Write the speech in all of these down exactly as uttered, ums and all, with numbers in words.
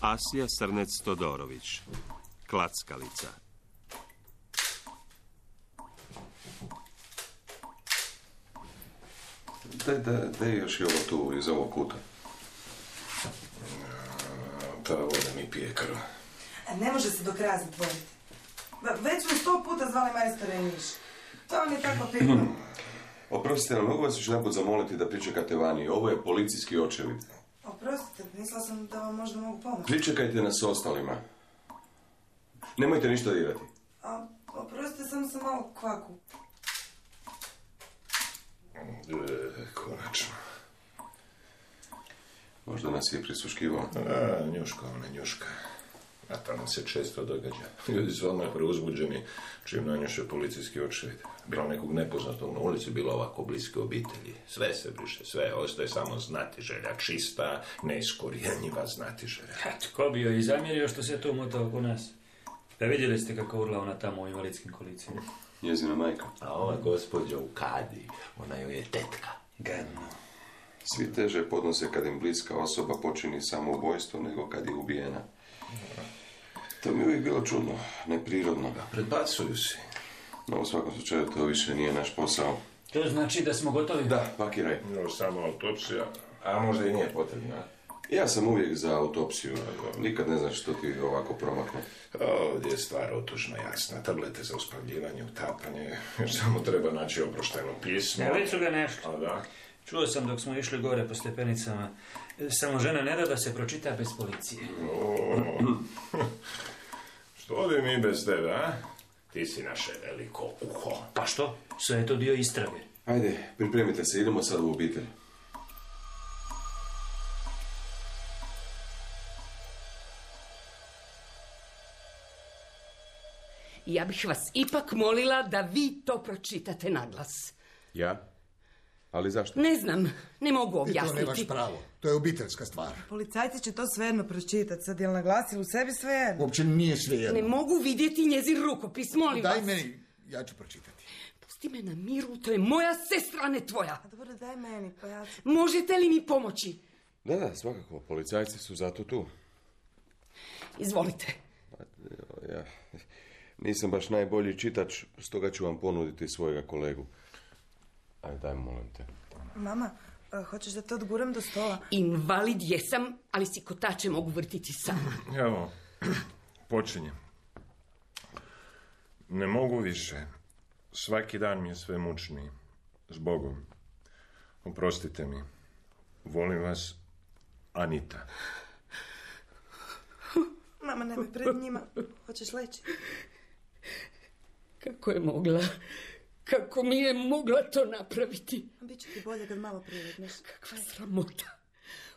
Asija Srnec-Todorović. Klackalica. Daj, daj, daj još i ovo tu iz ovog kuta. Ta voda mi pije krv. Ne može se do kraja zatvoriti. Već smo sto puta zvali majstore i Miš. To vam je tako pitno. Oprostite, ali mogu vas još naput zamoliti da pričekate vani. Ovo je policijski očevid. Oprostite, mislila sam da vam možda mogu pomoći. Pričekajte nas s ostalima. Nemojte ništa dirati. A, oprostite, samo sam malo kvaku. E, konačno. Možda nas je prisluškivao. A, njuška, ona njuška. A to nam se često događa. Ljudi su odmah preuzbuđeni čim nanjuše policijski očevid. Bilo nekog nepoznatog na ulici, bilo ovako bliske obitelji. Sve se briše, sve. Ostaje samo znatiželja, čista, neiskorjenjiva znatiželja. Tko bi joj i zamjerio što se to mota oko nas? Da vidjeli ste kako urla ona tamo u invalidskim kolicima. Njezina majka. A ova gospođa u kadi, ona joj je tetka. Gadno. Svi teže podnose kad im bliska osoba počini samoubojstvo nego kad je ubijena. To mi je uvijek bilo čudno, neprirodno. Predbacuju si. No, u svakom slučaju to više nije naš posao. To znači da smo gotovi? Da, pakiraj. No, samo autopsija, a možda i nije potrebna. Ja sam uvijek za autopsiju. Nikad ne znaš što ti ovako promakne. Ovdje je stvar otužno jasna. Tablete za uspavljivanje, utapanje. Još samo treba naći oproštajno pismo. Ja, već su ga našli. A da? Čuo sam dok smo išli gore po stepenicama. Samo žena ne da da se pročita bez policije. O, što bi mi bez tebe, a? Ti si naše veliko uho. Pa što? Sve je to dio istrage. Ajde, pripremite se, idemo sad u obitelj. Ja bih vas ipak molila da vi to pročitate naglas. Ja? Ali zašto? Ne znam, ne mogu objasniti. I to nemaš pravo, to je obiteljska stvar. Policajci će to svejedno pročitati. Sad je li naglasili u sebi svejedno? Uopće nije svejedno. Ne mogu vidjeti njezin rukopis, molim vas. Daj meni, ja ću pročitati. Pusti me na miru, to je moja sestra, ne tvoja. A dobro, daj meni, pa ja ću... Možete li mi pomoći? Da, da, svakako, policajci su zato tu. Izvolite. Ja nisam baš najbolji čitač, stoga ću vam ponuditi svojega kolegu. Ajde, daj, molim te. Mama, a, hoćeš da te odguram do stola? Invalid jesam, ali si kotače mogu vrtiti sama. Evo, počinjem. Ne mogu više. Svaki dan mi je sve mučniji. Zbogom. Oprostite mi. Volim vas, Anita. Mama, nemoj pred njima. Hoćeš leći? Kako je mogla? Kako mi je mogla to napraviti? Biće ti bolje kad malo privedneš. Kakva sramota.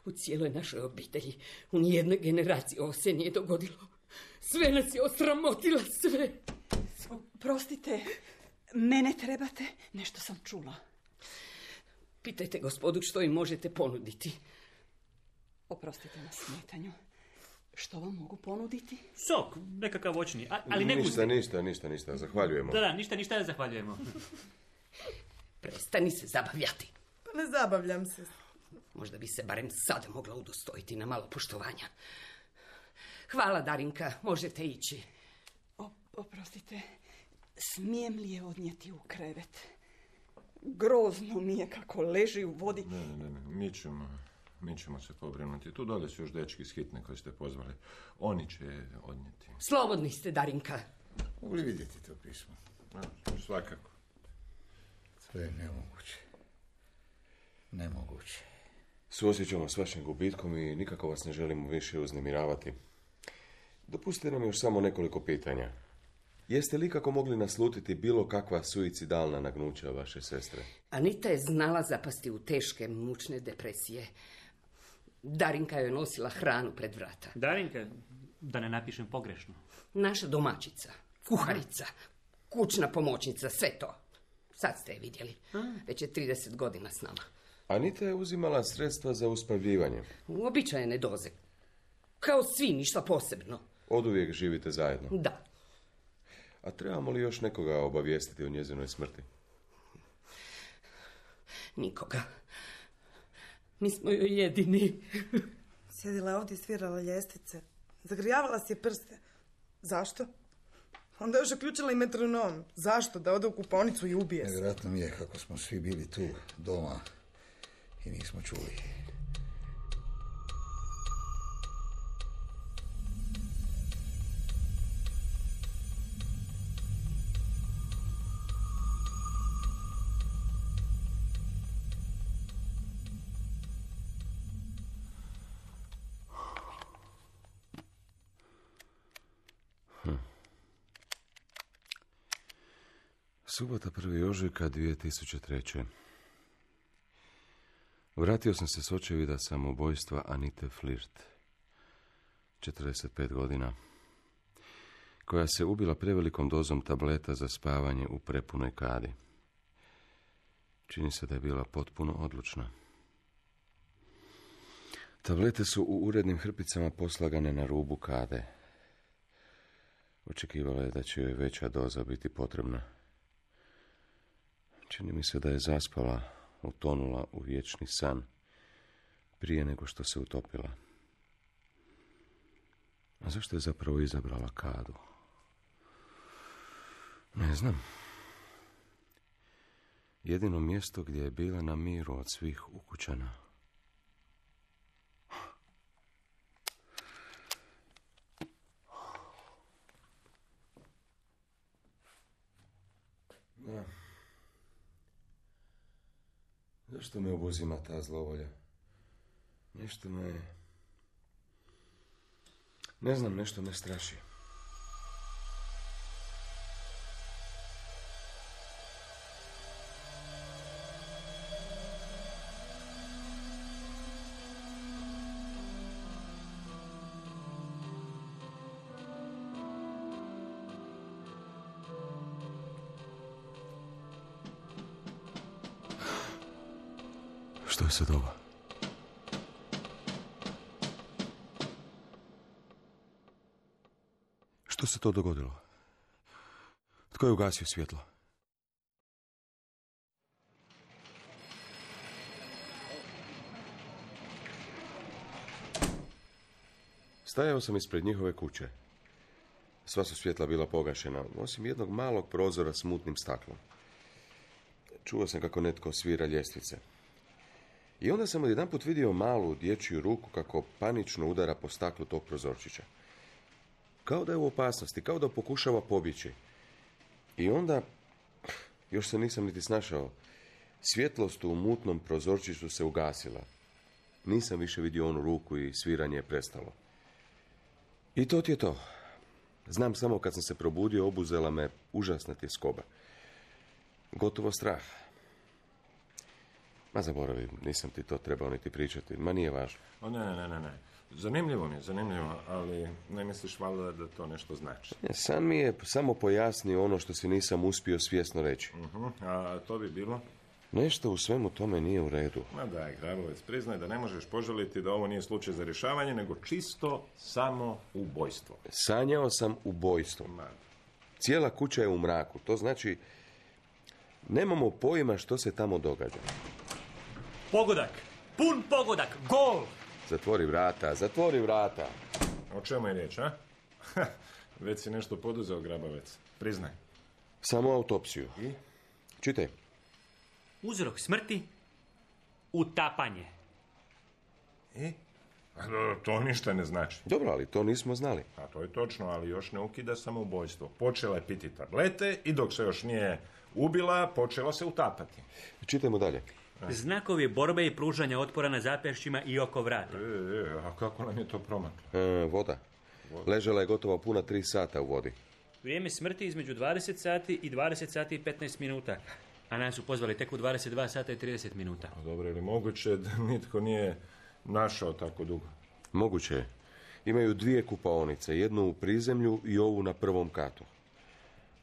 U cijeloj našoj obitelji, u nijednoj generaciji ovo se nije dogodilo. Sve nas je osramotila, sve. Prostite, mene trebate? Nešto sam čula. Pitajte gospodu što im možete ponuditi. Oprostite na smetanju. Što vam mogu ponuditi? Sok, nekakav voćni, a, ali ne Ništa, gusti. ništa, ništa, ništa, zahvaljujemo. Da, da, ništa, ništa, zahvaljujemo. Prestani se zabavljati. Pa ne zabavljam se. Možda bi se barem sada mogla udostojiti na malo poštovanja. Hvala, Darinka, možete ići. O, oprostite, smijem li je odnijeti u krevet? Grozno mi je kako leži u vodi. Ne, ne, ne, mi ćemo, mi ćemo se pobrinuti. Tu dole su još dečki iz hitne koje ste pozvali. Oni će je odnijeti. Slobodni ste, Darinka. Mogu li vidjeti to pismo? Ja, svakako. Sve je nemoguće. Nemoguće. Suosjećamo s vašim gubitkom i nikako vas ne želimo više uznemiravati. Dopustite nam još samo nekoliko pitanja. Jeste li kako mogli naslutiti bilo kakva suicidalna nagnuća vaše sestre? Anita je znala zapasti u teške, mučne depresije. Darinka joj nosila hranu pred vrata. Darinka, da ne napišem pogrešno. Naša domaćica, kuharica, kućna pomoćnica, sve to. Sad ste je vidjeli. Već je trideset godina s nama. Anita je uzimala sredstva za uspavljivanje. Uobičajene doze. Kao svi, ništa posebno. Oduvijek živite zajedno. Da. A trebamo li još nekoga obavijestiti o njezinoj smrti? Nikoga. Mi smo joj jedini. Sjedila je ovdje i svirala ljestvice. Zagrijavala si je prste. Zašto? Onda je još uključila i metronom. Zašto? Da ode u kupaonicu i ubije se. Nevjerojatno mi je kako smo svi bili tu, doma, i nismo čuli. Subota prvi ožujka dvije tisuće treće. Vratio sam se s očevida samoubojstva Anite Flirt, četrdeset pet godina, koja se ubila prevelikom dozom tableta za spavanje u prepunoj kadi. Čini se da je bila potpuno odlučna. Tablete su u urednim hrpicama poslagane na rubu kade. Očekivala je da će joj veća doza biti potrebna. Čini mi se da je zaspala, utonula u vječni san, prije nego što se utopila. A zašto je zapravo izabrala kadu? Ne znam. Jedino mjesto gdje je bila na miru od svih ukućana. Da. Zašto me obuzima ta zlovolja? Nešto me... Ne znam, nešto me straši. Što je sad ovo? Što se to dogodilo? Tko je ugasio svjetlo? Stajao sam ispred njihove kuće. Sva su svjetla bila pogašena, osim jednog malog prozora s mutnim staklom. Čuo sam kako netko svira ljestvice. I onda sam odjedanput vidio malu dječju ruku kako panično udara po staklu tog prozorčića. Kao da je u opasnosti, kao da pokušava pobjeći. I onda, još se nisam niti snašao, svjetlost u mutnom prozorčiću se ugasila. Nisam više vidio onu ruku i sviranje je prestalo. I to ti je to. Znam samo kad sam se probudio, obuzela me užasna tjeskoba. Gotovo strah. Ma zaboravi, nisam ti to trebao niti pričati, ma nije važno. O ne, ne, ne, ne. Zanimljivo mi je, zanimljivo, ali ne misliš valjda da to nešto znači? Ne, san mi je samo pojasnio ono što si nisam uspio svjesno reći. Uh-huh. A to bi bilo? Nešto u svemu tome nije u redu. Ma daj, Grabovec, priznaj da ne možeš požaliti da ovo nije slučaj za rješavanje, nego čisto samo ubojstvo. Sanjao sam ubojstvo. Ma. Cijela kuća je u mraku, to znači nemamo pojma što se tamo događa. Pogodak! Pun pogodak! Gol! Zatvori vrata, zatvori vrata. O čemu je riječ, a? Već si nešto poduzeo, Grabovec. Priznaj. Samo autopsiju. I? Čitaj. Uzrok smrti? Utapanje. I? A, to ništa ne znači. Dobro, ali to nismo znali. A to je točno, ali još ne ukida samoubojstvo. Počela je piti tablete i dok se još nije ubila, počela se utapati. Čitajmo dalje. Znakovi borbe i pružanja otpora na zapešćima i oko vrata. E, e, a kako nam je to promaklo? E, voda. Ležela je gotovo puna tri sata u vodi. Vrijeme smrti između dvadeset sati i dvadeset sati i petnaest minuta. A nas su pozvali tek u dvadeset dva sata i trideset minuta. A dobro, je li moguće da nitko nije našao tako dugo? Moguće je. Imaju dvije kupaonice, jednu u prizemlju i ovu na prvom katu.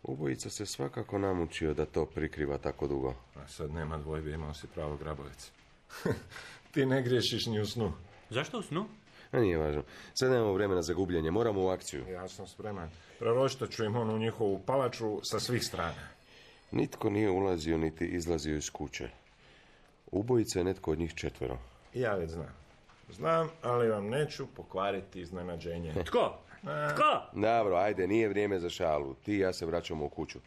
Ubojica se svakako namučio da to prikriva tako dugo. A sad nema dvojbe, imao si pravo, Grabovec. Ti ne griješiš ni u snu. Zašto u snu? A nije važno. Sad nemamo vremena za gubljenje, moramo u akciju. Ja sam spreman. Preroštat ću im onu njihovu palaču sa svih strana. Nitko nije ulazio niti izlazio iz kuće. Ubojica je netko od njih četvero. Ja već znam. Znam, ali vam neću pokvariti iznenađenje. Tko? Tko? Dobro, ajde, nije vrijeme za šalu. Ti i ja se vraćamo u kuću.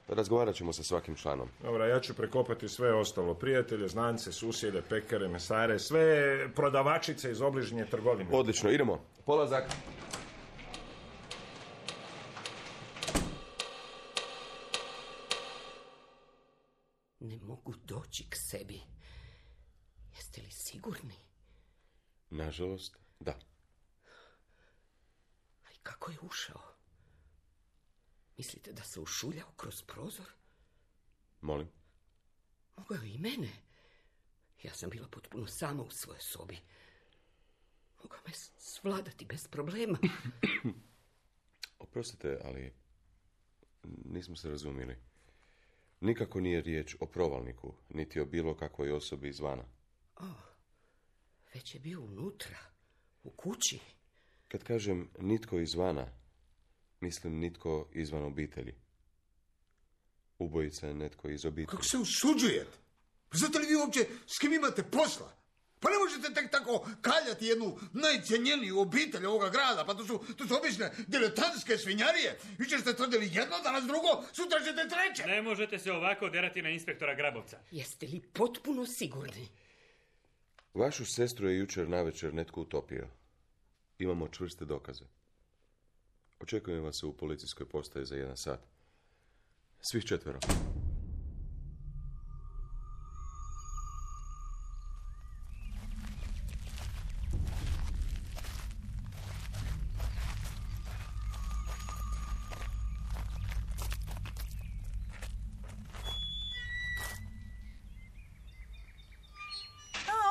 Razgovarat ćemo sa svakim članom. Dobro, ja ću prekopati sve ostalo. Prijatelje, znance, susjede, pekare, mesare, sve prodavačice iz obližnje trgovine. Odlično, idemo. Polazak. Ne mogu doći k sebi. Jeste li sigurni? Nažalost, da. A i kako je ušao? Mislite da se ušuljao kroz prozor? Molim? Mogao je i mene. Ja sam bila potpuno sama u svojoj sobi. Mogao me svladati bez problema. Oprostite, ali nismo se razumjeli. Nikako nije riječ o provalniku, niti o bilo kakvoj osobi izvana. O, već je bio unutra, u kući. Kad kažem nitko izvana, mislim nitko izvan obitelji. Ubojica je netko iz obitelji. Kako se usuđujete? Pa znate li vi uopće s kim imate posla? Pa ne možete tek tako kaljati jednu najcijenjeniju obitelj ovoga grada, pa to su, to su obične diletantske svinjarije. Vi ćete tvrdili jedno, danas drugo, sutra ćete treće. Ne možete se ovako derati na inspektora Grabovca. Jeste li potpuno sigurni? Vašu sestru je jučer navečer netko utopio. Imamo čvrste dokaze. Očekujem vas u policijskoj postaji za jedan sat. Svih četvero.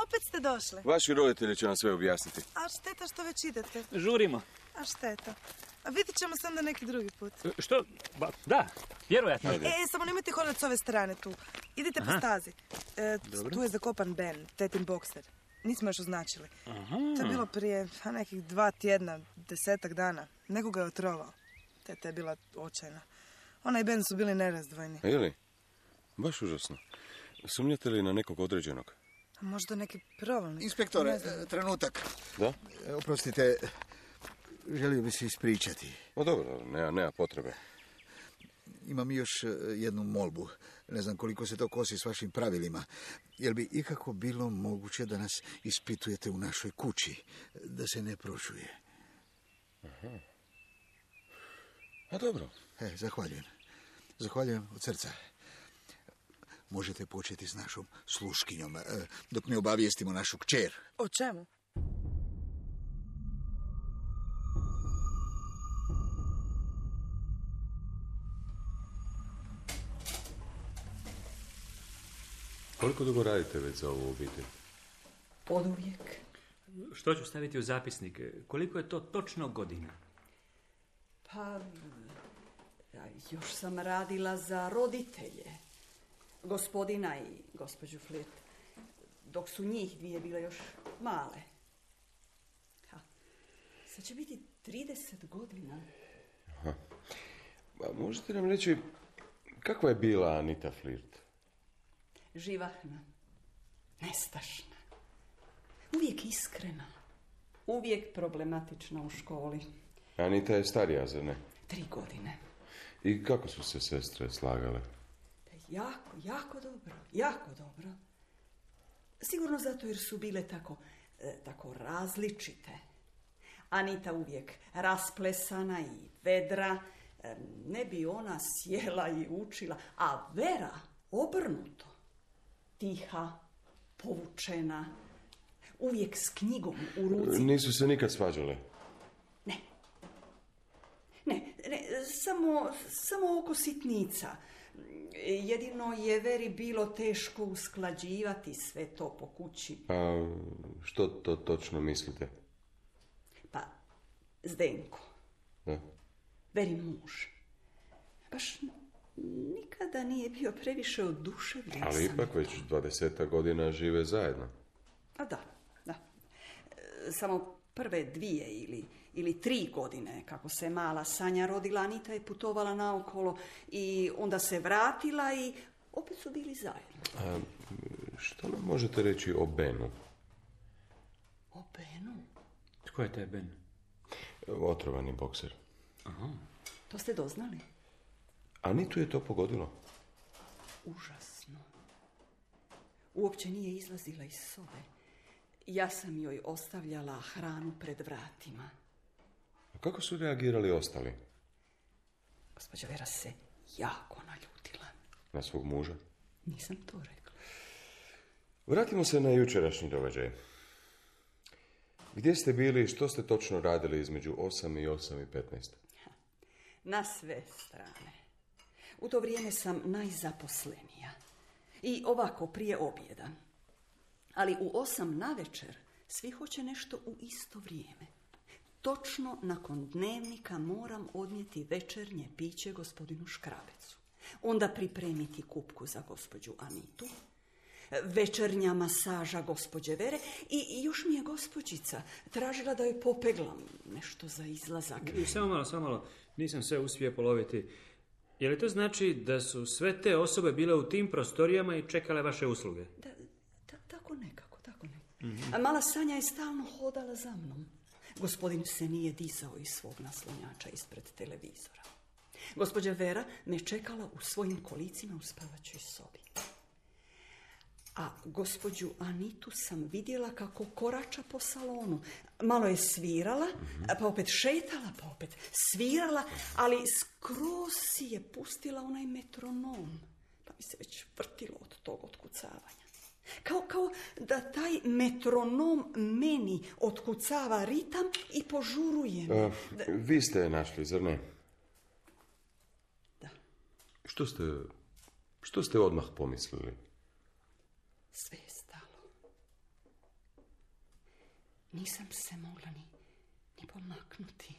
Opet ste došli. Vaši roditelji će vam sve objasniti. A šteta što već idete. Žurimo. A šteta. A vidit ćemo se onda neki drugi put. Što? Ba, da, vjerojatno. E, samo nemojte hodati s ove strane tu. Idite po stazi. E, tu je zakopan Ben, tetin bokser. Nismo još označili. Aha. To je bilo prije a, nekih dva tjedna, desetak dana. Nekoga je otrovao. Teta je bila očajna. Ona i Ben su bili nerazdvojni. Ili? Baš užasno. Sumnjate li na nekog određenog? A možda neki provalnik. Inspektore, trenutak. Da? Oprostite, želio bi se ispričati. O dobro, nema, nema potrebe. Imam još jednu molbu. Ne znam koliko se to kosi s vašim pravilima. Jel bi ikako bilo moguće da nas ispitujete u našoj kući? Da se ne prošuje. Aha. A dobro. E, zahvaljujem. Zahvaljujem od srca. Možete početi s našom sluškinjom, dok ne obavijestimo našu kćer. O čemu? Koliko dugo radite već za ovu obitelj? Oduvijek. Što ću staviti u zapisnik? Koliko je to točno godina? Pa, ja još sam radila za roditelje. Gospodina i gospođu Flirt, dok su njih dvije bile još male. Ha, sad će biti trideset godina. Aha. A možete nam reći, kakva je bila Anita Flirt? Živahna, nestašna, uvijek iskrena, uvijek problematična u školi. Anita je starija, zar ne? Tri godine. I kako su se sestre slagale? Jako, jako dobro, jako dobro. Sigurno zato jer su bile tako, e, tako različite. Anita uvijek rasplesana i vedra, e, ne bi ona sjela i učila, a Vera obrnuto. Tiha, povučena, uvijek s knjigom u ruci. Nisu se nikad svađale? Ne. Ne, ne, samo, samo oko sitnica. Jedino je Veri bilo teško usklađivati sve to po kući. A što to točno mislite? Pa, Zdenko. Da. Veri muž. Baš nikada nije bio previše oduševljen. Ali sam. ipak već dvadesetak godina žive zajedno. A da, da. E, samo prve dvije ili, ili tri godine, kako se mala Sanja rodila, Anita je putovala naokolo i onda se vratila i opet su bili zajedno. A što nam možete reći o Benu? O Benu? Ko je taj Ben? Otrovani bokser. Aha. To ste doznali? Anitu je to pogodilo. Užasno. Uopće nije izlazila iz sobe. Ja sam joj ostavljala hranu pred vratima. A kako su reagirali ostali? Gospođa Vera se jako naljutila. Na svog muža? Nisam to rekla. Vratimo se na jučerašnji događaj. Gdje ste bili i što ste točno radili između osam i osam i petnaest? Na sve strane. U to vrijeme sam najzaposlenija. I ovako prije objeda. Ali u osam navečer svi hoće nešto u isto vrijeme. Točno nakon dnevnika moram odnijeti večernje piće gospodinu Škrabecu. Onda pripremiti kupku za gospođu Anitu. Večernja masaža gospođe Vere i još mi je gospođica tražila da joj popeglam nešto za izlazak. Samo malo, samo malo. Nisam sve uspio poloviti. Je li to znači da su sve te osobe bile u tim prostorijama i čekale vaše usluge? Da, da, tako nekako, tako nekako. Mm-hmm. A mala Sanja je stalno hodala za mnom. Gospodin se nije dizao iz svog naslonjača ispred televizora. Gospođa Vera me čekala u svojim kolicima u spavačoj sobi. A gospođu Anitu sam vidjela kako korača po salonu. Malo je svirala, pa opet šetala, pa opet svirala, ali skroz si je pustila onaj metronom. Pa mi se već vrtilo od tog otkucavanja. Kao, kao da taj metronom meni otkucava ritam i požuruje me. A, da... Vi ste je našli, zar ne? Da. Što ste, što ste odmah pomislili? Sve je stalo. Nisam se mogla ni, ni pomaknuti.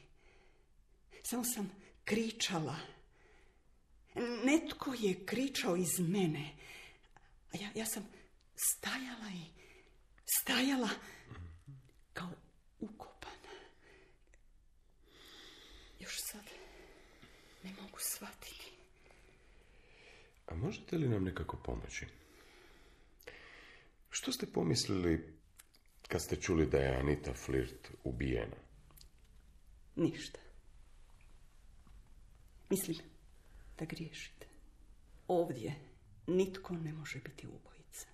Samo sam kričala. Netko je kričao iz mene. A ja, ja sam stajala i stajala kao ukopana. Još sad ne mogu shvatiti. A možete li nam nekako pomoći? Što ste pomislili kad ste čuli da je Anita Flirt ubijena? Ništa. Mislim da griješite. Ovdje nitko ne može biti ubojica.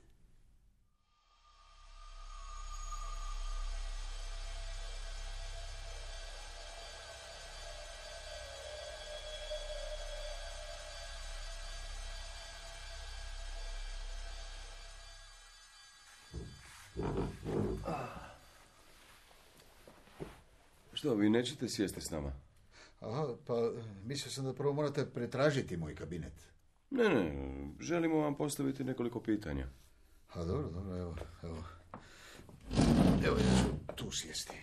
Što, vi nećete sjesti s nama? Aha, pa mislio sam da prvo morate pretražiti moj kabinet. Ne, ne, želimo vam postaviti nekoliko pitanja. A dobro, dobro, evo, evo. Evo, ja ću tu sjesti.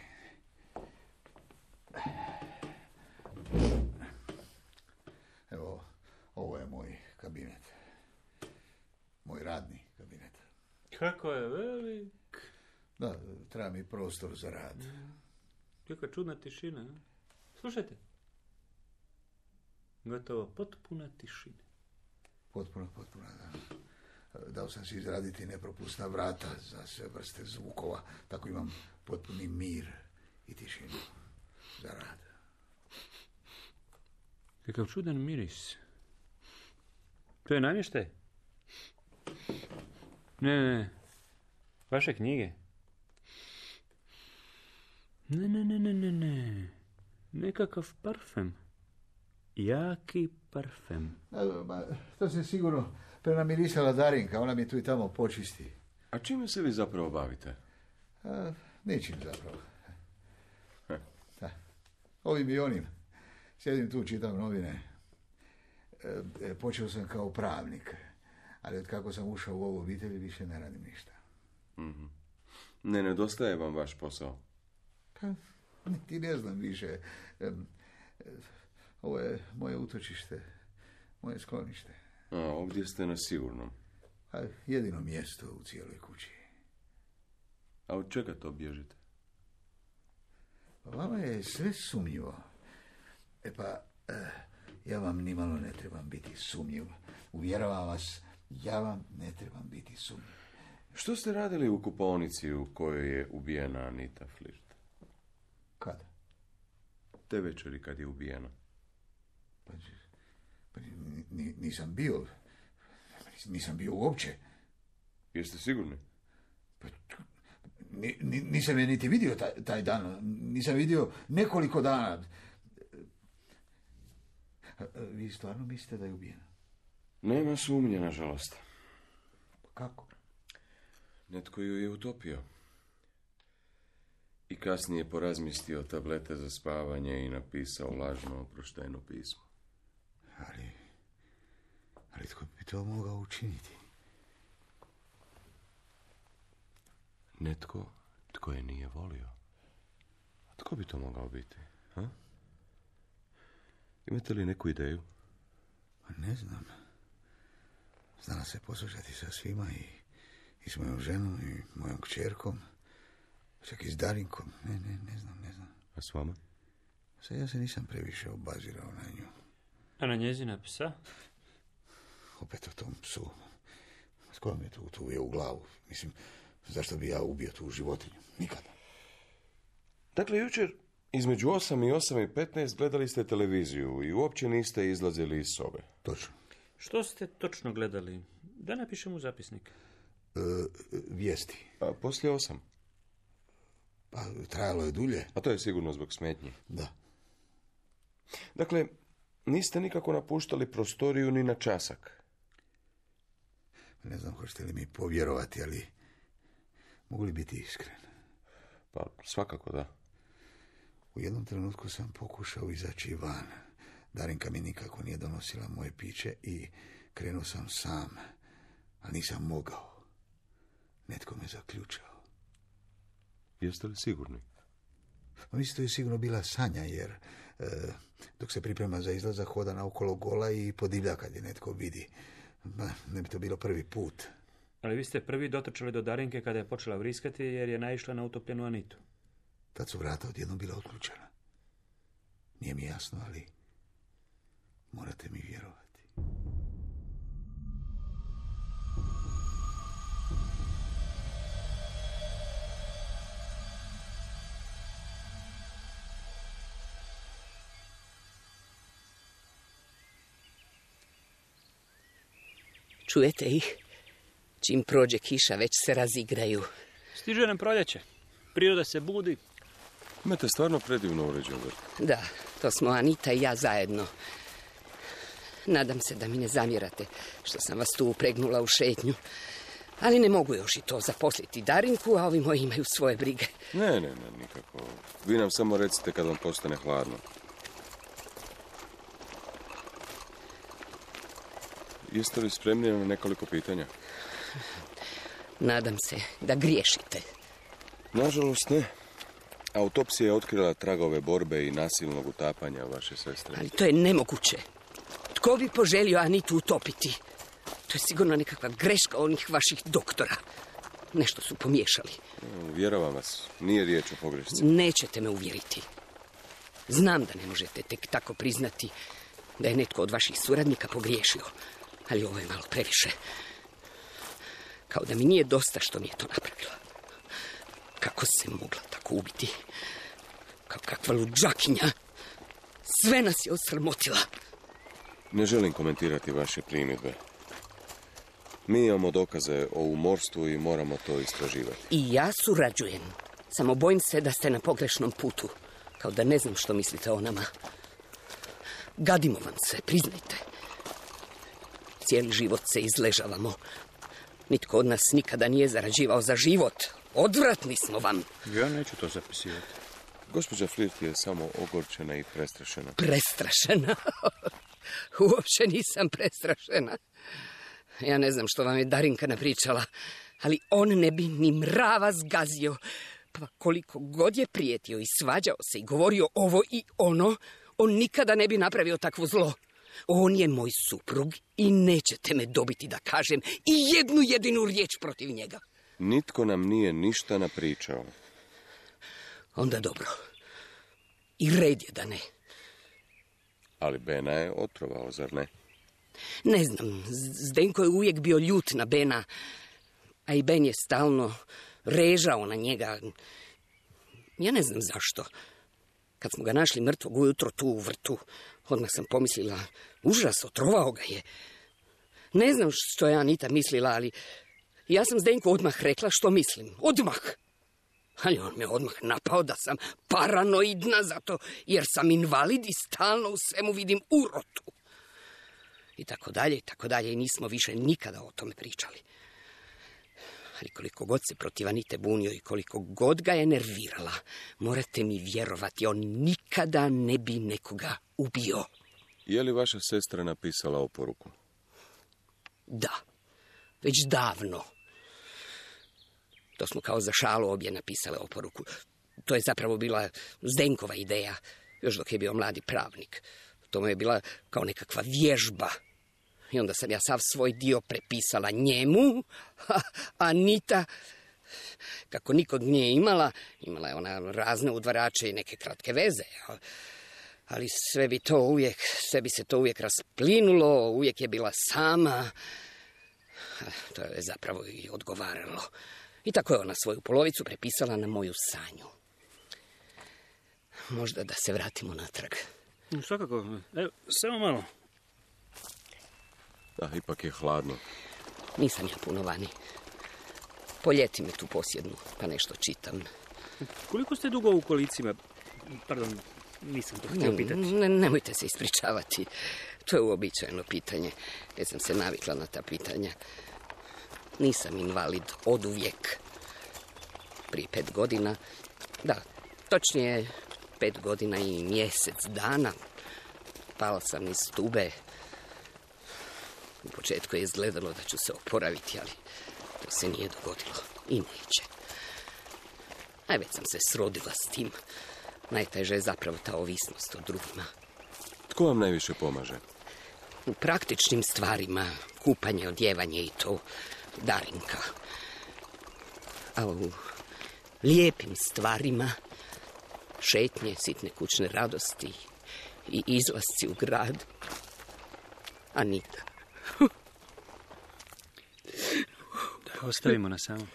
Evo, ovo je moj kabinet. Moj radni kabinet. Kako je velik. Da, treba mi prostor za rad. Kakva čudna tišina. A? Slušajte. Gotovo potpuna tišina. Potpuno, potpuno, da. Dao sam si izraditi nepropusna vrata za sve vrste zvukova, tako imam potpuni mir i tišinu za rad. Kakav čudan miris. To je namještaj? Ne, ne, vaše knjige? Ne, ne, ne, ne, ne, ne. Nekakav parfem. Jaki parfem. A, ma, to se sigurno prenamirisala Darinka, ona mi tu i tamo počisti. A čime se vi zapravo bavite? A, ničim zapravo. Da. Ovim i onim. Sjedim tu, čitam novine. E, e, počeo sam kao pravnik, ali od kako sam ušao u ovu obitelj više ne radim ništa. Mm-hmm. Ne nedostaje vam vaš posao? Pa, niti ne znam više. E, e, ovo je moje utočište, moje sklonište. A, ovdje ste na sigurnom. A, jedino mjesto u cijeloj kući. A od čega to bježite? Pa vama je sve sumnjivo. E pa, eh, ja vam nimalo ne trebam biti sumnjiv. Uvjeravam vas, ja vam ne trebam biti sumnjiv. Što ste radili u kupaonici u kojoj je ubijena Anita Flirt? Kada? Te večeri kad je ubijena. Pa, pa ni, nisam bio. Nisam bio uopće. Jeste sigurni? Pa, ni, ni, nisam je niti vidio taj, taj dan. Nisam vidio nekoliko dana. Vi stvarno mislite da je ubijena? Nema sumnje, nažalost. Kako? Netko ju je utopio. I kasnije porazmistio tablete za spavanje i napisao lažno oproštajno pismo. Ali... Ali tko bi to mogao učiniti? Netko tko je nije volio. A tko bi to mogao biti? Ha? Imate li neku ideju? Ne znam. Znala se poslušati sa svima i, i s mojom ženom i mojom kćerkom. Čak i s Darinkom. Ne, ne, ne znam, ne znam. A s vama? Sad ja se nisam previše obazirao na nju. A na njezina psa? Opet o tom psu. Skoro mi je tu, tu je u glavu. Mislim, zašto bi ja ubio tu životinju? Nikada. Dakle, jučer između osam i osam i petnaest gledali ste televiziju i uopće niste izlazili iz sobe. Točno. Što ste točno gledali? Da napišem u zapisnik. E, vijesti. A poslije osam? Pa trajalo je dulje. A to je sigurno zbog smetnje. Da. Dakle, niste nikako napuštali prostoriju ni na časak. Ne znam hoćete li mi povjerovati, ali mogu li biti iskren? Pa svakako da. U jednom trenutku sam pokušao izaći van. Darinka mi nikako nije donosila moje piće i krenuo sam sam, a nisam mogao. Netko me zaključao. Jeste li sigurni? Mislim, to je sigurno bila sanja, jer e, dok se priprema za izlazak hoda naokolo gola i podivlja kad je netko vidi. Ma, ne bi to bilo prvi put. Ali vi ste prvi dotrčali do Darinke kada je počela vriskati jer je naišla na utopljenu Anitu. Tad su vrata odjednom bila otključena. Nije mi jasno, ali morate mi vjerovati. Čujete ih? Čim prođe kiša, već se razigraju. Stiže nam proljeće. Priroda se budi. Imate stvarno predivno uređen vrt. Da, to smo Anita i ja zajedno. Nadam se da mi ne zamjerate što sam vas tu upregnula u šetnju. Ali ne mogu još i to zaposliti Darinku, a ovi moji imaju svoje brige. Ne, ne, ne, nikako. Vi nam samo recite kad vam postane hladno. Jeste li spremni na nekoliko pitanja? Nadam se da griješite. Nažalost ne. Autopsija je otkrila tragove borbe i nasilnog utapanja vaše sestre. Ali to je nemoguće. Tko bi poželio Anitu utopiti? To je sigurno nekakva greška onih vaših doktora. Nešto su pomiješali. Vjerujem vas, nije riječ o pogrešci. Nećete me uvjeriti. Znam da ne možete tek tako priznati da je netko od vaših suradnika pogriješio. Ali ovo je malo previše. Kao da mi nije dosta što mi je to napravila. Kako se mogla tako ubiti? Kao kakva luđakinja. Sve nas je osramotila. Ne želim komentirati vaše primjedbe. Mi imamo dokaze o umorstvu i moramo to istraživati. I ja surađujem. Samo bojim se da ste na pogrešnom putu. Kao da ne znam što mislite o nama. Gadimo vam se, priznajte. Cijeli život se izležavamo. Nitko od nas nikada nije zarađivao za život. Odvratni smo vam. Ja neću to zapisivati. Gospođa Flirt je samo ogorčena i prestrašena. Prestrašena? Uopće nisam prestrašena. Ja ne znam što vam je Darinka napričala, ali on ne bi ni mrava zgazio. Pa koliko god je prijetio i svađao se i govorio ovo i ono, on nikada ne bi napravio takvo zlo. On je moj suprug i nećete me dobiti da kažem i jednu jedinu riječ protiv njega. Nitko nam nije ništa napričao. Onda dobro. I red je da ne. Ali Bena je otrovao, zar ne? Ne znam, Zdenko je uvijek bio ljut na Bena, a i Ben je stalno režao na njega. Ja ne znam zašto. Kad smo ga našli mrtvog ujutro tu u vrtu, odmah sam pomislila, užas, otrovao ga je. Ne znam što je Anita mislila, ali ja sam Zdenku odmah rekla što mislim. Odmah. Ali on me odmah napao da sam paranoidna zato jer sam invalid i stalno u svemu vidim urotu. I tako dalje, i tako dalje. I nismo više nikada o tome pričali. Ali koliko god se protiv Anite bunio i koliko god ga je nervirala, morate mi vjerovati, on nikada ne bi nekoga ubio. Je li vaša sestra napisala oporuku? Da, već davno. To smo kao za šalu obje napisale oporuku. To je zapravo bila Zdenkova ideja, još dok je bio mladi pravnik. To mu je bila kao nekakva vježba. I onda sam ja sav svoj dio prepisala njemu, a Anita, kako nikod nije imala, imala je ona razne udvarače i neke kratke veze. Ali sve bi to uvijek, sve bi se to uvijek rasplinulo, uvijek je bila sama. To je zapravo i odgovaralo. I tako je ona svoju polovicu prepisala na moju sanju. Možda da se vratimo natrag. Svakako. Evo, samo malo. Da, ipak je hladno. Nisam ja puno vani. Poljeti me tu posjednu, pa nešto čitam. Koliko ste dugo u kolicima? Pardon, nisam to htio pitati. Ne, nemojte se ispričavati. To je uobičajeno pitanje. Ja sam se navikla na ta pitanja. Nisam invalid od uvijek. Prije pet godina, da, točnije pet godina i mjesec dana, pala sam iz stube. U početku je izgledalo da ću se oporaviti, ali to se nije dogodilo i neće. A već sam se srodila s tim. Najteže je zapravo ta ovisnost o drugima. Tko vam najviše pomaže? U praktičnim stvarima, kupanje, odjevanje i to, Darinka. A u lijepim stvarima, šetnje, sitne kućne radosti i izlasci u grad, Anita. Da, ostavimo na samo.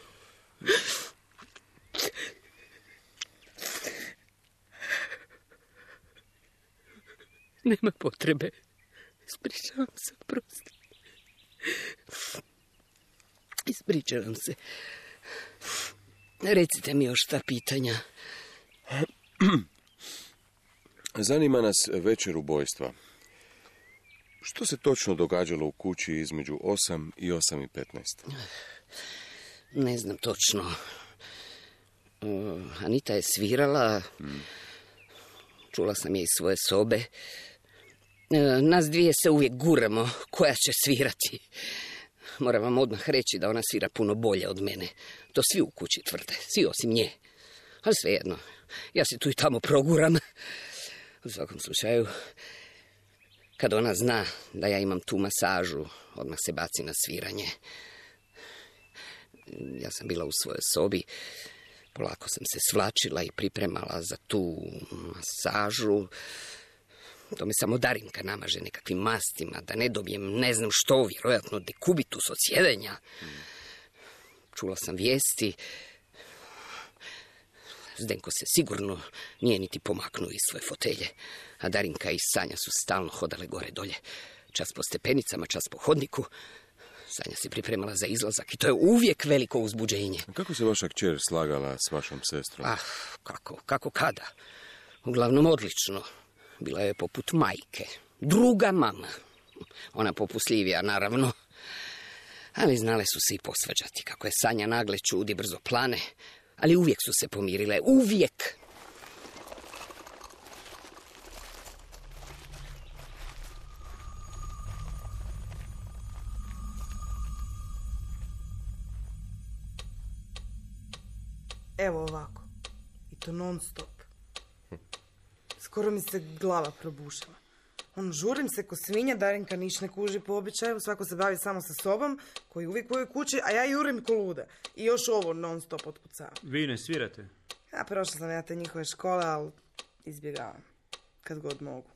Nema potrebe. Ispričavam se, prosti. Ispričavam se. Recite mi još ta pitanja. Zanima nas večer ubojstva. Što se točno događalo u kući između osam i osam i petnaest? Ne znam točno. Uh, Anita je svirala. Hmm. Čula sam je iz svoje sobe. Uh, nas dvije se uvijek guramo. Koja će svirati? Moram vam odmah reći da ona svira puno bolje od mene. To svi u kući tvrde. Svi osim nje. Ali svejedno. Ja se tu i tamo proguram. U svakom slučaju, kad ona zna da ja imam tu masažu, odmah se baci na sviranje. Ja sam bila u svojoj sobi, polako sam se svlačila i pripremala za tu masažu. To me samo Darinka namaže nekakvim mastima, da ne dobijem ne znam što, vjerojatno dekubitus od sjedenja. Čula sam vijesti. Zdenko se sigurno nije niti pomaknuo iz svoje fotelje, a Darinka i Sanja su stalno hodale gore dolje. Čas po stepenicama, čas po hodniku. Sanja se pripremala za izlazak i to je uvijek veliko uzbuđenje. Kako se vaša kćer slagala s vašom sestrom? Ah, kako, kako kada? Uglavnom odlično. Bila je poput majke. Druga mama. Ona popustljivija, naravno. Ali znale su se i posvađati. Kako je Sanja nagle čudi, brzo plane. Ali uvijek su se pomirile. Uvijek. Evo ovako. I to non stop. Skoro mi se glava probušila. On, žurim se ko svinja, Darinka niš ne kuži po običaju, svako se bavi samo sa sobom, koji uvijek u ovoj kući, a ja jurim ko luda. I još ovo non stop otkucava. Vi ne svirate? Ja prošla sam ja te njihove škole, ali izbjegavam. Kad god mogu.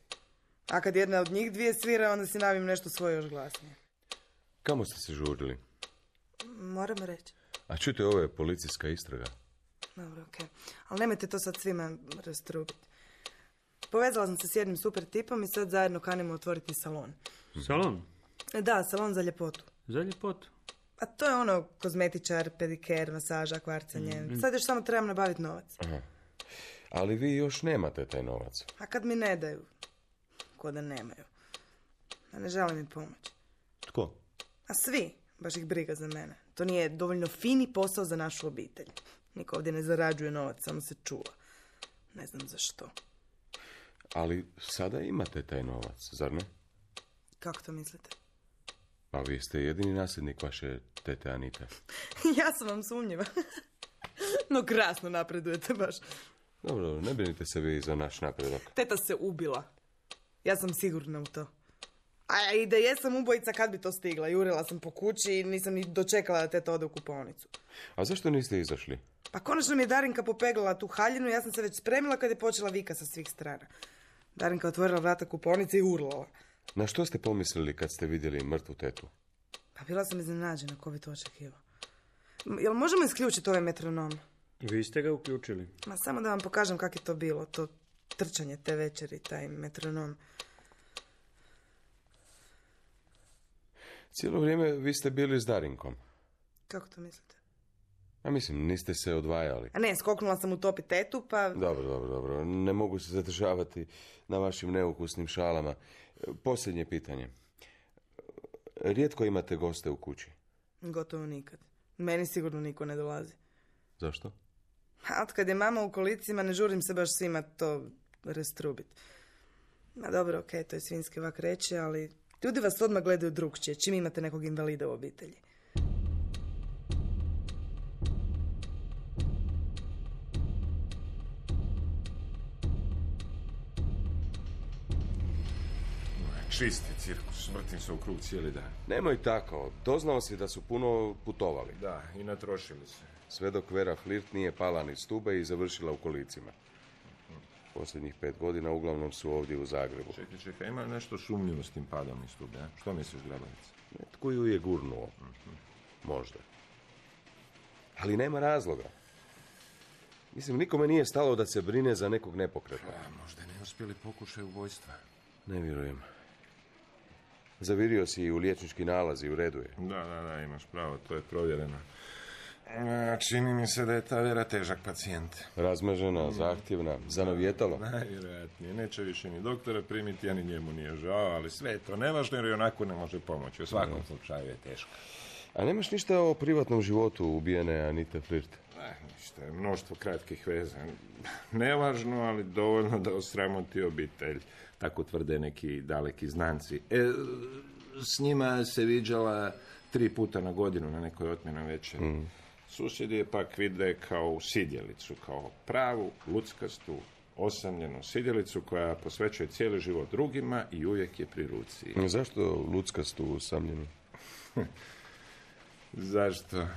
A kad jedna od njih dvije svira, onda si navim nešto svoje još glasnije. Kamo ste se žurili? Moram reći. A čujte, ovo je policijska istraga. Dobro, okej. Okay. Ali nemojte to sad svima rastrubiti. Povezala sam se s jednim super tipom i sad zajedno kanimo otvoriti salon. Salon? Da, salon za ljepotu. Za ljepotu? A to je ono kozmetičar, pediker, masaža, kvarcanje. Mm. Sad još samo trebam nabaviti novac. Aha. Ali vi još nemate taj novac. A kad mi ne daju? Ko da nemaju. A ne žele mi pomoći. Tko? A svi. Baš ih briga za mene. To nije dovoljno fini posao za našu obitelj. Niko ovdje ne zarađuje novac, samo se čuva. Ne znam zašto. Ali sada imate taj novac, zar ne? Kako to mislite? Pa vi ste jedini nasljednik vaše tete Anite. Ja sam vam sumnjiva. No krasno napredujete baš. Dobro, ne brinite se vi za naš napredak. Teta se ubila. Ja sam sigurna u to. A i da jesam ubojica, kad bi to stigla? Jurila sam po kući i nisam ni dočekala da teta ode u kupaonicu. A zašto niste izašli? Pa konačno mi je Darinka popeglala tu haljinu, ja sam se već spremila kad je počela vika sa svih strana. Darinka otvorila vrata kupaonice i urlala. Na što ste pomislili kad ste vidjeli mrtvu tetu? Pa bila sam iznenađena, ko bi to očekivao. Jel možemo isključiti ovaj metronom? Vi ste ga uključili. Ma samo da vam pokažem kako je to bilo, to trčanje te večeri, taj metronom. Cijelo vrijeme vi ste bili s Darinkom. Kako to mislite? A mislim, niste se odvajali. A ne, skoknula sam u topi tetu, pa... Dobro, dobro, dobro. Ne mogu se zadržavati na vašim neukusnim šalama. Posljednje pitanje. Rijetko imate goste u kući? Gotovo nikad. Meni sigurno niko ne dolazi. Zašto? A od kad je mama u kolicima, ne žurim se baš svima to rastrubit. Ma dobro, okej, okay, to je svinjski vak reći, ali ljudi vas odmah gledaju drugčije, čim imate nekog invalida u obitelji. Čisti cirkus, vrtim se u krug cijeli dan. Nemoj tako, doznao si da su puno putovali. Da, i natrošili se. Sve dok Vera Flirt nije pala ni stube i završila u kolicima. Posljednjih pet godina uglavnom su ovdje u Zagrebu. Čekaj, čekaj, ima nešto sumnjivo s tim padom iz stube, a? Što misliš, Grabovic? Netko ju je gurnuo. Mm-hmm. Možda. Ali nema razloga. Mislim, nikome nije stalo da se brine za nekog nepokretnog. A, možda ne uspjeli pokušaj ubojstva. Ne vjerujem. Zavirio si i u liječnički nalaz i u redu je. Da, da, da, imaš pravo, to je provjereno. A, čini mi se da je ta Vera težak pacijent. Razmažena, zahtjevna, zanavjetalo. Najvjerojatnije, neće više ni doktora primiti, a ni njemu nije žao, ali sve je to nevažno jer i onako ne može pomoći. U svakom ne. slučaju je teško. A nemaš ništa o privatnom životu ubijene Anite Flirt? Ne, ništa, mnoštvo kratkih veza. Nevažno, ali dovoljno da osramoti obitelj. Tako tvrde neki daleki znanci. E, s njima se viđala tri puta na godinu na nekoj otmjenoj večeri. Mm. Susjedi je pak vide kao sidjelicu, kao pravu, luckastu, osamljenu sidjelicu koja posvećuje cijeli život drugima i uvijek je pri ruci. Zašto luckastu, osamljenu? Zašto?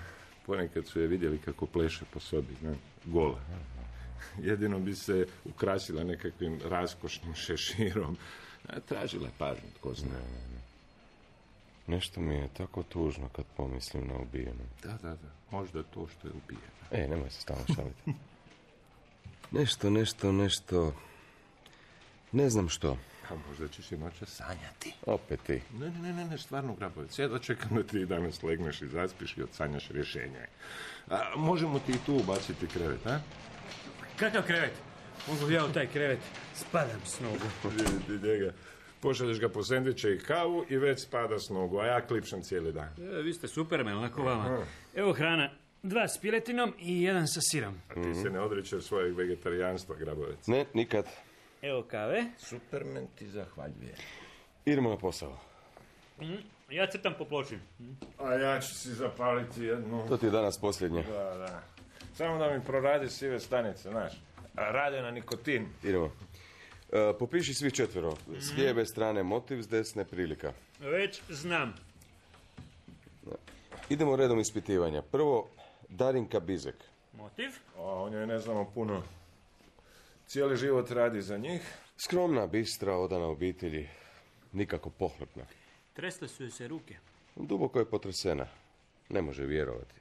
Ponekad su je vidjeli kako pleše po sobi, ne? Gola. Jedino bi se ukrasila nekakvim raskošnim šeširom. Tražila je pažnju, tko zna. Ne, ne, ne. Nešto mi je tako tužno kad pomislim na ubijenu. Da, da, da. Možda to što je ubijeno. E, nemoj se stalno šaliti. Nešto, nešto, nešto... Ne znam što. A možda ćeš i noća sanjati. Opet ti. Ne, ne, ne, ne, stvarno, Grabovic. Ja dočekam da ti danas legneš i zaspiš i odsanjaš rješenje. A, možemo ti i tu ubaciti krevet, a? Kakav krevet? Mogu ja u taj krevet? Spadam s nogu. Vidite njega. Pošalješ ga po sendviče i kavu i već spada s nogu, a ja klipšam cijeli dan. E, vi ste supermen, lako vama. Evo hrana. Dva s piletinom i jedan sa sirom. A ti se ne odričeš svojeg vegetarijanstva, Grabovic. Ne, nikad. Evo kave. Supermen ti zahvaljuje. Idemo na posao. Mm, ja crtam po ploči. Mm. A ja ću si zapaliti jednu. To ti je danas posljednje. Da, da. Samo da mi proradi sive stanice, znaš. Rade na nikotin. Idemo. E, popiši svi četvero. S lijeve strane motiv, s desne prilika. Već znam. Idemo redom ispitivanja. Prvo, Darinka Bizek. Motiv? O, o njoj ne znamo puno. Cijeli život radi za njih. Skromna, bistra, odana obitelji. Nikako pohlepna. Tresle su joj se ruke. Duboko je potresena. Ne može vjerovati.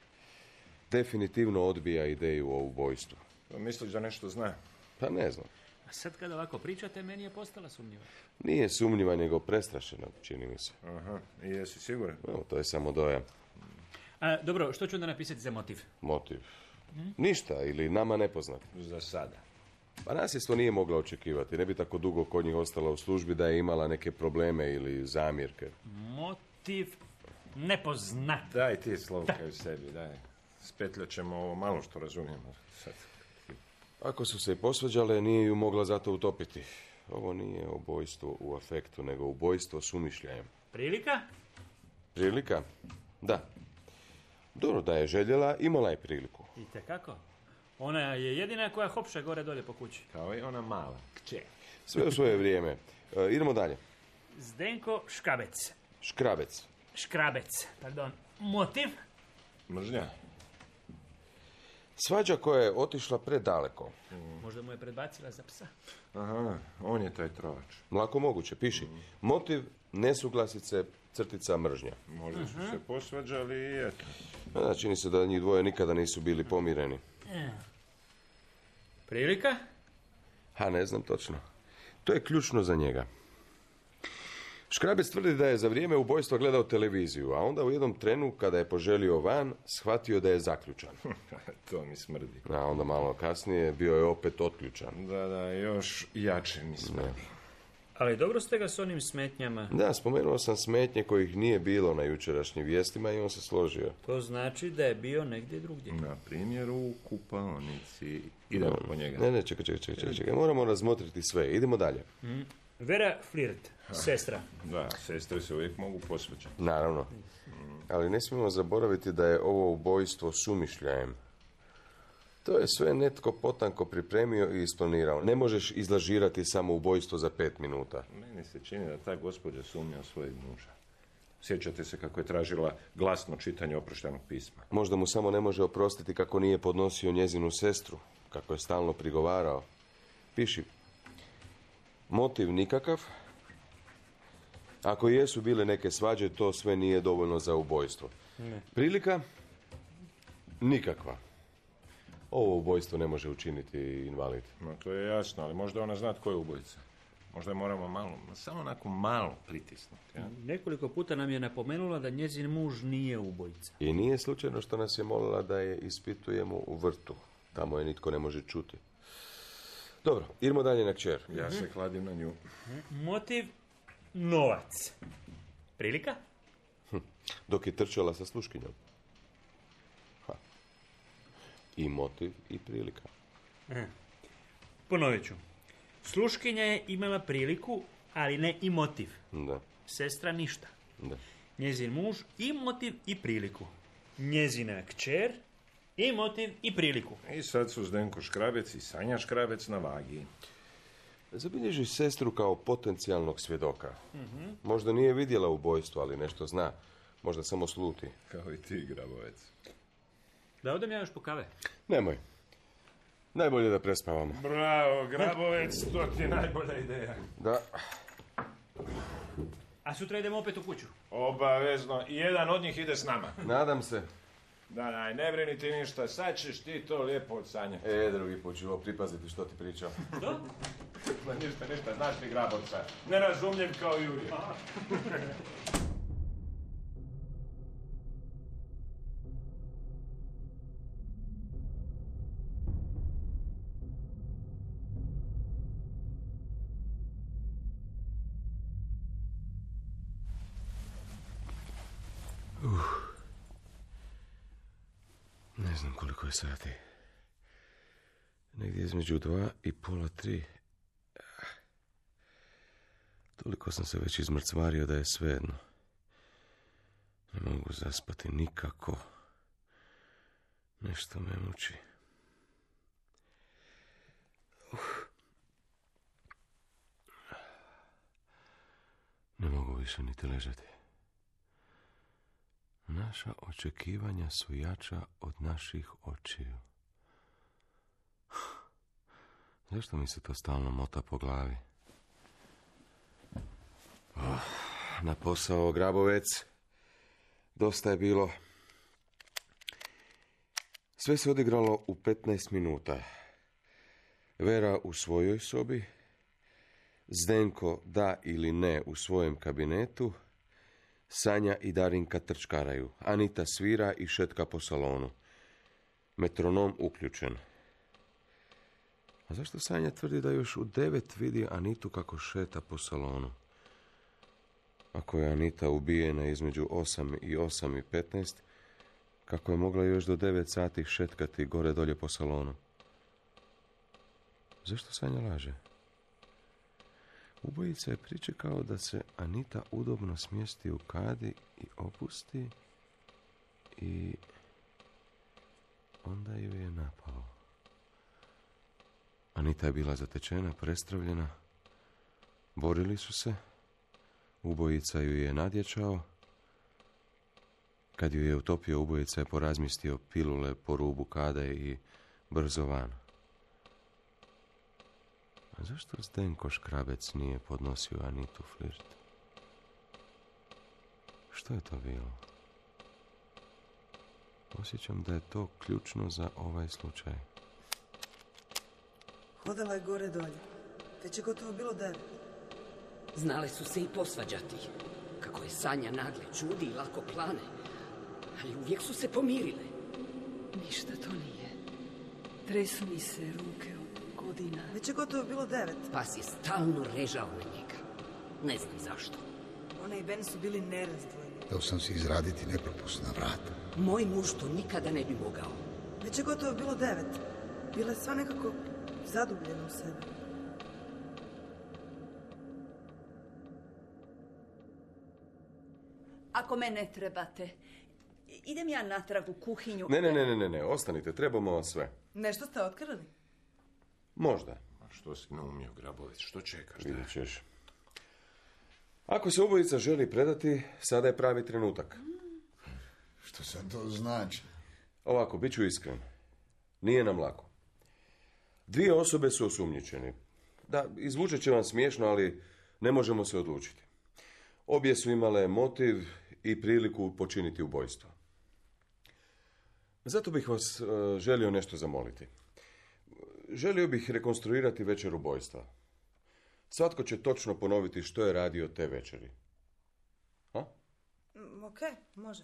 Definitivno odbija ideju o ubojstvu. Misliš da nešto zna? Pa ne znam. A sad kada ovako pričate, meni je postala sumnjiva. Nije sumnjiva, nego prestrašena, čini mi se. Aha, i jesi siguran? No, to je samo dojam. A, dobro, što ću onda napisati za motiv? Motiv? Ništa, ili nama nepoznat. Za sada. Pa nasljedstvo nije mogla očekivati. Ne bi tako dugo kod njih ostala u službi da je imala neke probleme ili zamjerke. Motiv nepoznat. Daj ti Slovka u sebi, daj. Spetljat ćemo ovo malo što razumijemo sad. Ako su se i posvađale, nije ju mogla zato utopiti. Ovo nije ubojstvo u afektu, nego ubojstvo s umišljajem. Prilika? Prilika? Da. Dobro, da je željela, imala je priliku. Itekako. Ona je jedina koja hopša gore dolje po kući. Kao i ona mala. Kće. Sve u svoje vrijeme. E, idemo dalje. Zdenko Škabec. Škrabec. Škrabec, pardon. Motiv? Mržnja. Svađa koja je otišla predaleko. Možda mu je predbacila za psa. Aha, on je taj trovač. Lako moguće, piši. Motiv, nesuglasice, crtica, mržnja. Možda su se posvađali i eto. Da, čini se da njih dvoje nikada nisu bili pomireni. Prilika? Ha, ne znam točno. To je ključno za njega. Škrabec tvrdi da je za vrijeme ubojstva gledao televiziju, a onda u jednom trenu, kada je poželio van, shvatio da je zaključan. To mi smrdi. A onda malo kasnije bio je opet otključan. Da, da, još jače mi smrdi. Ali dobro ste ga s onim smetnjama. Da, spomenuo sam smetnje kojih nije bilo na jučerašnjim vijestima i on se složio. To znači da je bio negdje drugdje. Na primjer u kupaonici. Idemo po njega. Ne, ne, čekaj, čekaj, čekaj, čekaj. Moramo razmotriti sve. Idemo dalje. Mm. Vera Flirt, sestra. Da, sestre se uvijek mogu posvađati. Naravno. Ali ne smijemo zaboraviti da je ovo ubojstvo s umišljajem. To je sve netko potanko pripremio i isplanirao. Ne možeš izlažirati samo ubojstvo za pet minuta. Meni se čini da ta gospođa sumnja u svojeg muža. Sjećate se kako je tražila glasno čitanje oproštajnog pisma. Možda mu samo ne može oprostiti kako nije podnosio njezinu sestru, kako je stalno prigovarao. Piši. Motiv nikakav. Ako jesu bile neke svađe, to sve nije dovoljno za ubojstvo. Ne. Prilika? Nikakva. Ovo ubojstvo ne može učiniti invalid. No, to je jasno, ali možda ona zna tko je ubojica. Možda je moramo malo, samo onako malo pritisnuti. Ja? Nekoliko puta nam je napomenula da njezin muž nije ubojica. I nije slučajno što nas je molila da je ispitujemo u vrtu. Tamo je nitko ne može čuti. Dobro, idemo dalje na kćer. Ja se kladim na nju. Motiv novac. Prilika? Hm. Dok je trčala sa sluškinjom. Ha. I motiv i prilika. Aha. Ponovit ću. Sluškinja je imala priliku, ali ne i motiv. Da. Sestra ništa. Da. Njezin muž i motiv i priliku. Njezina kćer i motiv i priliku. I sad su Zdenko Škrabec i Sanja Škrabec na vagi. Zabilježi sestru kao potencijalnog svjedoka. Uh-huh. Možda nije vidjela ubojstvo, ali nešto zna. Možda samo sluti. Kao i ti, Grabovec. Da odem ja još po kave? Nemoj. Najbolje da prespavamo. Bravo, Grabovec, to ti je najbolja ideja. Da. A sutra idemo opet u kuću? Obavezno. I jedan od njih ide s nama. Nadam se. Da, daj, ne brini ti ništa. Sad ćeš ti to lijepo od Sanje. E, drugi put ću ovo pripaziti što ti pričam. Što? Ma ništa, ništa. Znaš ti Grabovca. Nerazumljiv kao i uvijek. Uh. Ne znam koliko je sati. Negdje između dva i pola tri. Toliko sam se već izmrcvario da je svejedno. Ne mogu zaspati nikako. Nešto me muči. Uh. Ne mogu više niti ležati. Naša očekivanja su jača od naših očiju. Zašto mi se to stalno mota po glavi? Oh, na posao, Grabovec. Dosta je bilo. Sve se odigralo u petnaest minuta. Vera u svojoj sobi, Zdenko da ili ne u svojem kabinetu, Sanja i Darinka trčkaraju, Anita svira i šetka po salonu. Metronom uključen. A zašto Sanja tvrdi da još u devet vidi Anitu kako šeta po salonu? Ako je Anita ubijena između osam i osam i petnaest, kako je mogla još do devet sati šetkati gore dolje po salonu? Zašto Sanja laže? Ubojica je pričekao da se Anita udobno smjesti u kadi i opusti i onda ju je napao. Anita je bila zatečena, prestravljena. Borili su se. Ubojica ju je nadječao. Kad ju je utopio, ubojica je porazmistio pilule po rubu kade i brzo van. A zašto Zdenko Škrabec nije podnosio Anitu flirt? Što je to bilo? Osjećam da je to ključno za ovaj slučaj. Hodala je gore dolje. Već je gotovo bilo devet. Znale su se i posvađati. Kako je Sanja nagle čudi i lako plane. Ali uvijek su se pomirile. Ništa to nije. Tresu mi se ruke od godina. Već je gotovo bilo devet. Pas je stalno režao na njega. Ne znam zašto. Ona i Ben su bili nerazdvojni. Htio sam si izraditi nepropusna vrata. Moj muž to nikada ne bi mogao. Već je gotovo bilo devet. Bila je sva nekako zadubljena u sebe. Ako me ne trebate, idem ja natrag u kuhinju. Ne, ne, ne, ne, ne, ne, ostanite, trebamo vam sve. Nešto ste otkrili? Možda. A što si naumio, Grabovec? Što čekaš? Da? Vidjet ćeš. Ako se ubojica želi predati, sada je pravi trenutak. Što sad to znači? Ovako, bit ću iskren. Nije nam lako. Dvije osobe su osumnjičene. Da, izvučet će vam smiješno, ali ne možemo se odlučiti. Obje su imale motiv i priliku počiniti ubojstvo. Zato bih vas uh, želio nešto zamoliti. Želio bih rekonstruirati večer ubojstva. Svatko će točno ponoviti što je radio te večeri. Ha? Mm, ok, može.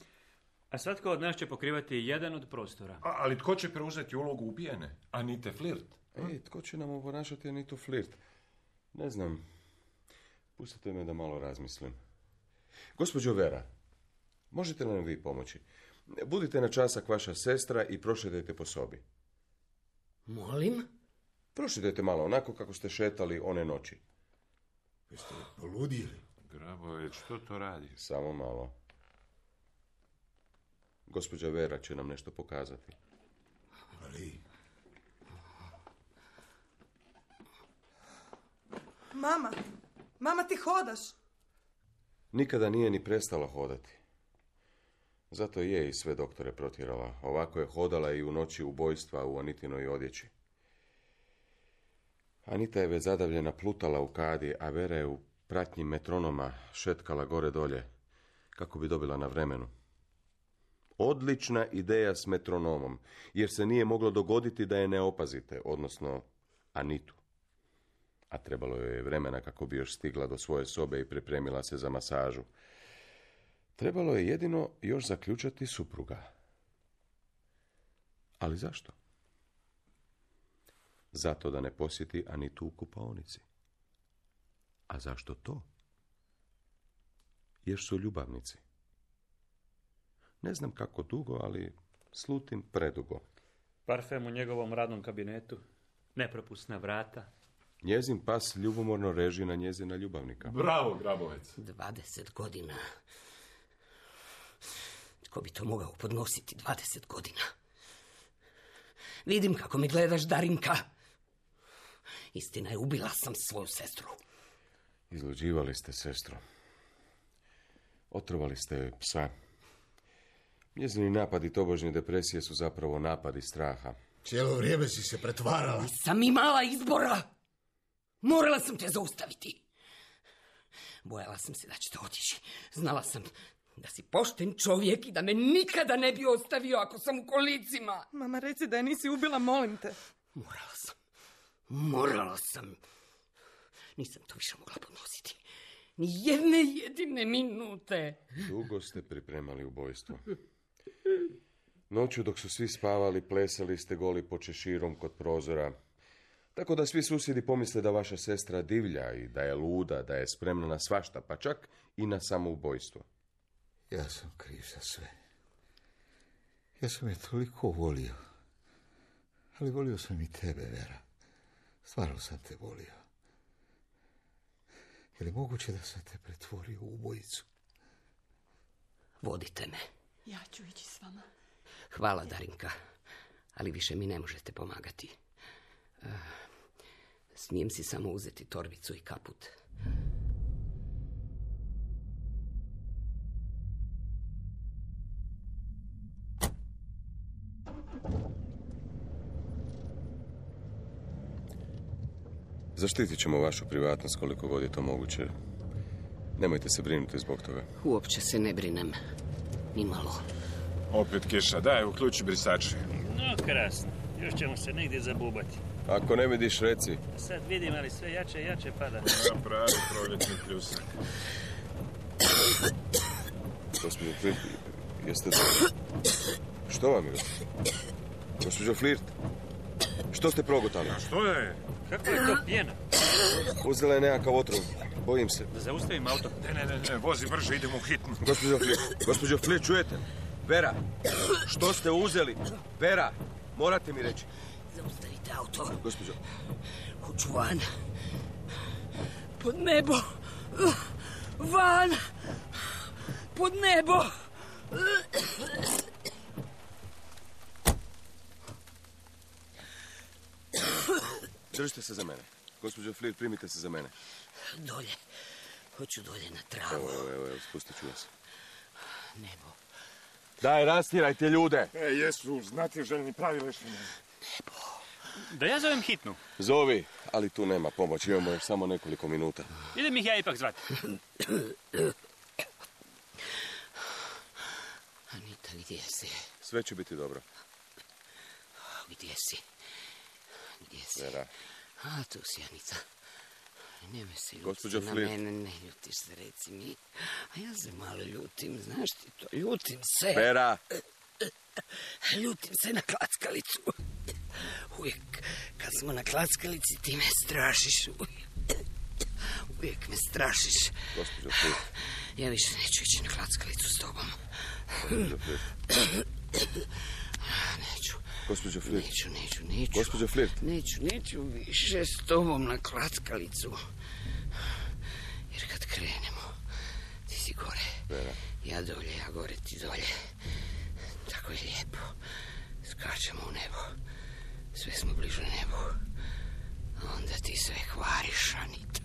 A svatko od nas će pokrivati jedan od prostora. A, ali tko će preuzeti ulogu ubijene? Anite Flirt? Ej, tko će nam oponašati Anitu Flirt? Ne znam. Pustite me da malo razmislim. Gospođo Vera, možete li nam vi pomoći? Budite na časak vaša sestra i prošetajte po sobi. Molim? Prošetajte malo, onako kako ste šetali one noći. Jeste poludili? Grabovec, što to radi? Samo malo. Gospođa Vera će nam nešto pokazati. Ali... Mama, mama ti hodaš. Nikada nije ni prestala hodati. Zato je i sve doktore protjerala. Ovako je hodala i u noći ubojstva u Anitinoj odjeći. Anita je već zadavljena plutala u kadi, a Vera je u pratnji metronoma šetkala gore dolje, kako bi dobila na vremenu. Odlična ideja s metronomom, jer se nije moglo dogoditi da je ne opazite, odnosno Anitu. A trebalo joj je vremena kako bi još stigla do svoje sobe i pripremila se za masažu. Trebalo je jedino još zaključati supruga. Ali zašto? Zato da ne posjeti Anitu u kupaonici. A zašto to? Jer su ljubavnici. Ne znam kako dugo, ali slutim predugo. Parfem u njegovom radnom kabinetu, nepropusna vrata. Njezin pas ljubomorno reži na njezina ljubavnika. Bravo, Grabovec. Dvadeset godina. Tko bi to mogao podnositi dvadeset godina? Vidim kako mi gledaš, Darinka. Istina je, ubila sam svoju sestru. Izluđivali ste sestru. Otrovali ste joj psa. Njezini napadi tobožnje depresije su zapravo napadi straha. Cijelo vrijeme si se pretvarala. Nisam imala izbora. Morala sam te zaustaviti. Bojala sam se da ćete otići. Znala sam da si pošten čovjek i da me nikada ne bi ostavio ako sam u kolicima. Mama, reci da je nisi ubila, molim te. Morala sam. Morala sam. Nisam to više mogla podnositi. Ni jedne jedine minute. Dugo ste pripremali ubojstvo. Noću dok su svi spavali, plesali ste goli po češirom kod prozora. Tako da svi susjedi pomisle da vaša sestra divlja i da je luda, da je spremna na svašta, pa čak i na samoubojstvo. Ja sam kriv za sve. Ja sam je toliko volio. Ali volio sam i tebe, Vera. Stvarno sam te volio. Je li moguće da sam te pretvorio u ubojicu? Vodite me. Ja ću ići s vama. Hvala, Darinka, ali više mi ne možete pomagati. Uh, smijem si samo uzeti torbicu i kaput. Zaštitit ćemo vašu privatnost koliko god je to moguće. Nemojte se brinuti zbog toga. Uopće se ne brinem. Ni malo. Opet kiša, daj, uključi brisače. No, krasno. Još ćemo se negdje zabubati. Ako ne vidiš, reci. Sad vidim, ali sve jače i jače pada. Napravi proljetni pljusak. Gospođo Flirt, jeste dobro? Što vam je? Gospođo Flirt, što ste progutali? A što je? Kako je to pjena? Uzela je nekakav otrov. Bojim se. Da zaustavim auto? Ne, ne, ne, ne, vozi brže, idemo u hitnu. Gospođo Flirt, gospođo Flirt, čujete? Vera, što ste uzeli? Vera, morate mi reći. Zaustavite auto. Gospođo. Hoću van. Pod nebo. Van. Pod nebo. Držite se za mene. Gospođo Flirt, primite se za mene. Dolje. Hoću dolje na travu. Evo, evo, evo, spustit ću vas. Nebo. Daj, rastirajte ljude. E, jesu, znate željni pravi lešine. Nebo. Da ja zovem hitnu. Zovi, ali tu nema pomoć. Imamo još samo nekoliko minuta. Idem ih ja ipak zvati. Anita, gdje si? Sve će biti dobro. Gdje si? Gdje si? Vera. A, tu si, Anita. Nemoj se ljuti Gospođo na Flirt. mene, ne ljutiš se, reci mi. A ja se malo ljutim, znaš ti to, ljutim se. Vera. Ljutim se na klackalicu. Uvijek kad smo na klackalici ti me strašiš. Uvijek me strašiš. Gospođo Flirt. Ja više neću ići na klackalicu s tobom. Gospođo Flirt. Neću. Gospođo Flirt. Neću, neću, neću. Gospođo Flirt. Neću, neću više s tobom na klackalicu. Jer kad krenemo, ti si gore. Vera. Ja dolje, ja gore, ti dolje. Tako je lijepo. Skačemo u nebo. Sve smo bliže nebu. A onda ti sve hvariš, Anita.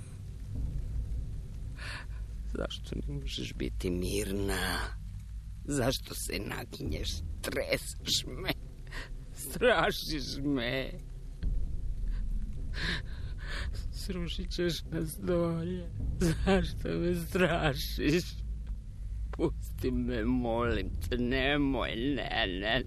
Zašto ne možeš biti mirna? Zašto se naginješ, treseš me? Strašiš me. Srušit ćeš nas dolje. Zašto me strašiš? Pusti me, molim te, nemoj, ne, ne,